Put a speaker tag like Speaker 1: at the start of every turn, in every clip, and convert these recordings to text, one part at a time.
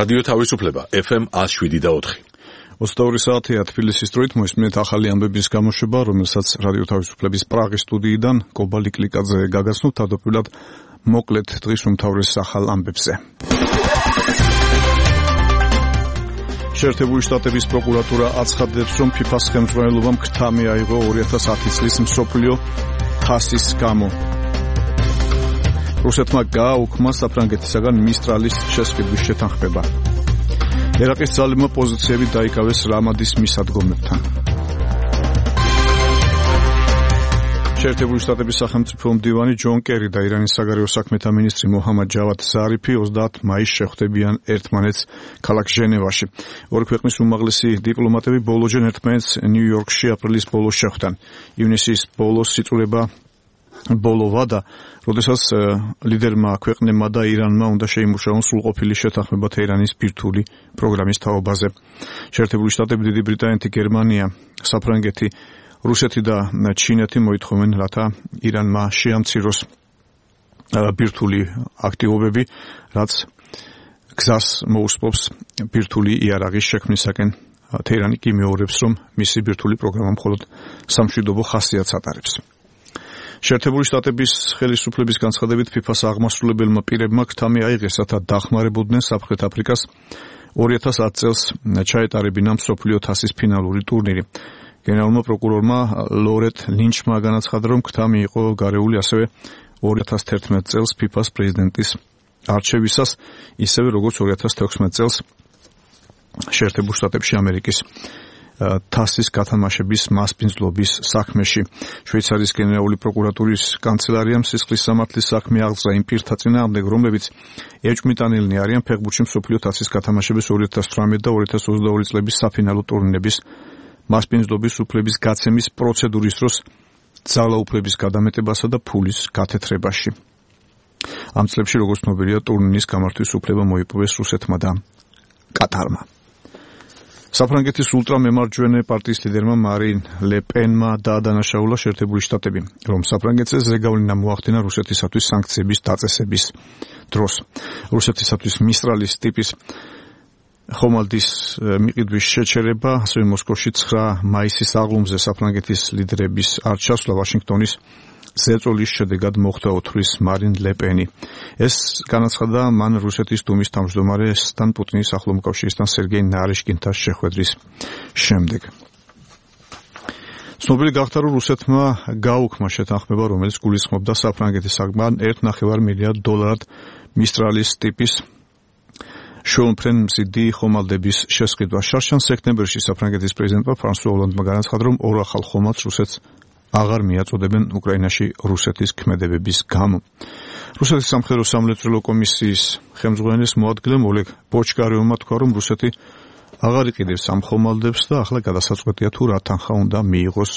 Speaker 1: რადიო თავისუფლება FM 107.4.
Speaker 2: 22 საათია თბილისის დროით მოისმინეთ ახალი ამბების გამოშვება, რომელსაც რადიო თავისუფლების პრაღის სტუდიიდან კობალი კლიკაძე გაგაცნობთ თავდაპირველად მოკლედ დღის უმთავრეს ახალ ამბებზე. შეერთებული შტატების პროკურატურა აცხადებს, რომ FIFA-ს ხელმძღვანელობამ ქრთა მიაიღო 2010 წლის მსოფლიო თასის გამო. რუსეთმა გააუქმა საფრანგეთისაგან მისტრალის შესყიდვის შეთანხმება. ერაყის ძალებმა პოზიციები დაიკავეს რამადის მისადგომებთან. შეერთებული შტატების სახელმწიფო მდივანი ჯონ კერი და ირანის საგარეო საქმეთა მინისტრი მოჰამად ჯავად ზარიფი 30 მაისს შეხვდებიან ერთმანეთს ქალაქ ჟენევაში. ორი ქვეყნის უმაღლესი დიპლომატები ბოლოჯერ ერთმანეთს ნიუ-იორკში აპრილის ბოლოს შეხვდნენ. ივნისის ბოლოს სიწურება ბოლოვა და როდესაც ლიდერმა ქვეყნებმა და ირანმა უნდა შეიმუშაონ სრულყოფილი შეთანხმება თეირანის ბირთვული პროგრამის თაობაზე. შეერთებული შტატები, დიდი ბრიტანეთი, გერმანია, საფრანგეთი, რუსეთი და ჩინეთი მოითხოვენ, რათა ირანმა შეამციროს ბირთვული აქტივობები, რაც გზას მოუსპობს ბირთვული იარაღის შექმნისაკენ. თეირანი კი მეორებს, რომ მისი ბირთვული პროგრამა მხოლოდ სამშვიდობო ხასიათს ატარებს. შეერთებული შტატების ხელისუფლების განცხადებით FIFA-ს აღმასრულებელმა პირებმა ქრთა მიაიღეს, რათა დახმარებოდნენ სამხრეთ აფრიკას 2010 წელს ჩაეტარებინა მსოფლიო თასის ფინალური ტურნირი. გენერალურმა პროკურორმა ლორეტ ლინჩმა განაცხადა, რომ ქრთა მიიღო გარეული ასევე 2011 წელს FIFA-ს პრეზიდენტის არჩევისას, ისევე როგორც 2016 წელს შეერთებულ შტატებში ამერიკის თასის გათამაშების მასპინძლობის საქმეში. შვეიცარიის გენერალური პროკურატურის კანცელარიამ სისხლის სამართლის საქმე აღძრა იმ პირთა წინააღმდეგ, რომლებიც ეჭვმიტანილნი არიან ფეხბურთში მსოფლიო თასის გათამაშების 2018 და 2022 წლების საფინალო ტურნირების მასპინძლობის უფლების გაცემის პროცედურის დროს ძალაუფლების გადამეტებასა და ფულის გათეთრებაში. ამ წლებში, როგორც ცნობილია, ტურნირის გამართვის უფლება მოიპოვეს რუსეთმა და კატარმა. საფრანგეთის ულტრამემარჯვენე პარტიის ლიდერმა მარინ ლე პენმა დაადანაშაულა შეერთებული შტატები, რომ საფრანგეთზე ზეგავლენა მოახდინა რუსეთისათვის სანქციების დაწესების დროს. რუსეთისათვის მისტრალის ტიპის ხომალდის მიყიდვის შეჩერება, ასევე მოსკოვში 9 მაისის აღლუმზე საფრანგეთის ლიდერების არჩევსლა ვაშინგტონის ზეწოლის შედეგად მოხდა ოთხრის მარინ ლე პენი. ეს განაცხადა მან რუსეთის დუმის თავმჯდომარესთან პუტინის ახლო მოკავშირისთან სერგეი ნარიშკინთან შეხვედრის შემდეგ. ცნობილი გახდა, რომ რუსეთმა გააუქმა შეთანხმება, რომელიც გულისხმობდა საფრანგეთისაგან $1.5 მილიარდ მისტრალის ტიპის შვეულმფრენ მზიდი ხომალდების შესყიდვა. შარშან სექტემბერში საფრანგეთის პრეზიდენტმა ფრანსუა ოლანდმა განაცხადა, რომ ორ ახალ ხომალდს რუსეთს აღარ მიაწოდებენ უკრაინაში რუსეთის ქმედებების გამო. რუსეთის სამხედრო სამლეწველო კომისიის ხელმძღვანელის მოადგილემ ოლეგ ბოჩკარევმა თქვა, რომ რუსეთი აღარ იყიდებს ამ ხომალდებს და ახლა გადასაწყვეტია თუ რა თანხა უნდა მიიღოს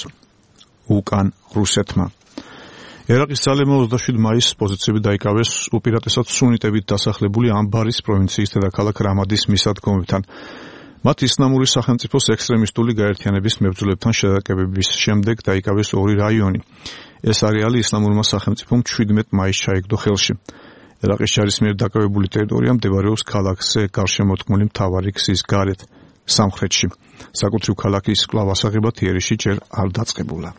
Speaker 2: უკან რუსეთმა. ერაყის ძალებმა 27 მაისს პოზიციები დაიკავეს უპირატესად სუნიტებით დასახლებული ამბარის პროვინციის დედაქალაქ რამადის მისადგომებთან. მათ ისლამური სახელმწიფოს ექსტრემისტული გაერთიანების მებრძოლებთან შეტაკებების შემდეგ დაიკავეს 2 რაიონი. ეს არეალი ისლამურმა სახელმწიფომ 17 მაისს ჩაიგდო ხელში. ერაყის ჯარის მიერ დაკავებული ტერიტორია მდებარეობს ქალაქზე გარშემოდგმული მთავარი გზის გარეთ, სამხრეთში. საკუთრივ ქალაქის კვლავ-ასაღებად იერიში ჯერ არ დაწყებულა.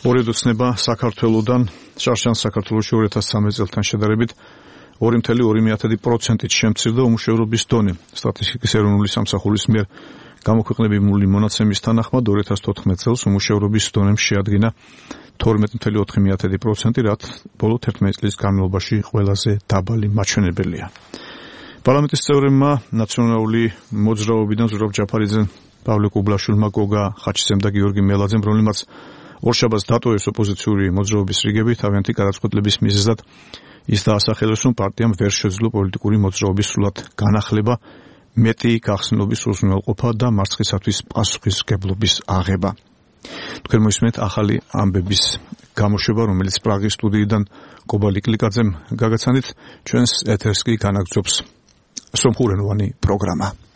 Speaker 2: ორი დოცნება საქართველოდან შარშან საქართველოში 2013 წელთან შედარებით 2.2%-ით შემცირდა უმუშევრობის დონე. სტატისტიკის ეროვნული სამსახურის მიერ გამოქვეყნებული მონაცემის თანახმად 2014 წელს უმუშევრობის დონემ შეადგინა 12.4%, რაც ბოლო 11 წლის განმავლობაში ყველაზე დაბალი მაჩვენებელია. პარლამენტის წევრებმა ნაციონალური მოძრაობიდან ზურაბ ჯაფარიძემ, პავლე კუბლაშვილმა, გოგა ხაჩისემ და გიორგი მელაძემ, რომლებმაც ორშაბათს დატოვეს ოპოზიციური მოძრაობის რიგები, თავიანთი გადაწყვეტილების მიზეზად ის დაასახელეს, რომ პარტიამ ვერ შეძლო პოლიტიკური მოძრაობის სრულად განახლება, მეტი გახსნილობის უზრუნველყოფა და მარცხისათვის პასუხისმგებლობის აღება. თქვენ მოისმენთ ახალი ამბების გამოშვება, რომელიც პრაღის სტუდიიდან კობალი კლიკაძემ გაგაცანით, ჩვენს ეთერს კი განაგრძობს სომხურენოვანი პროგრამა.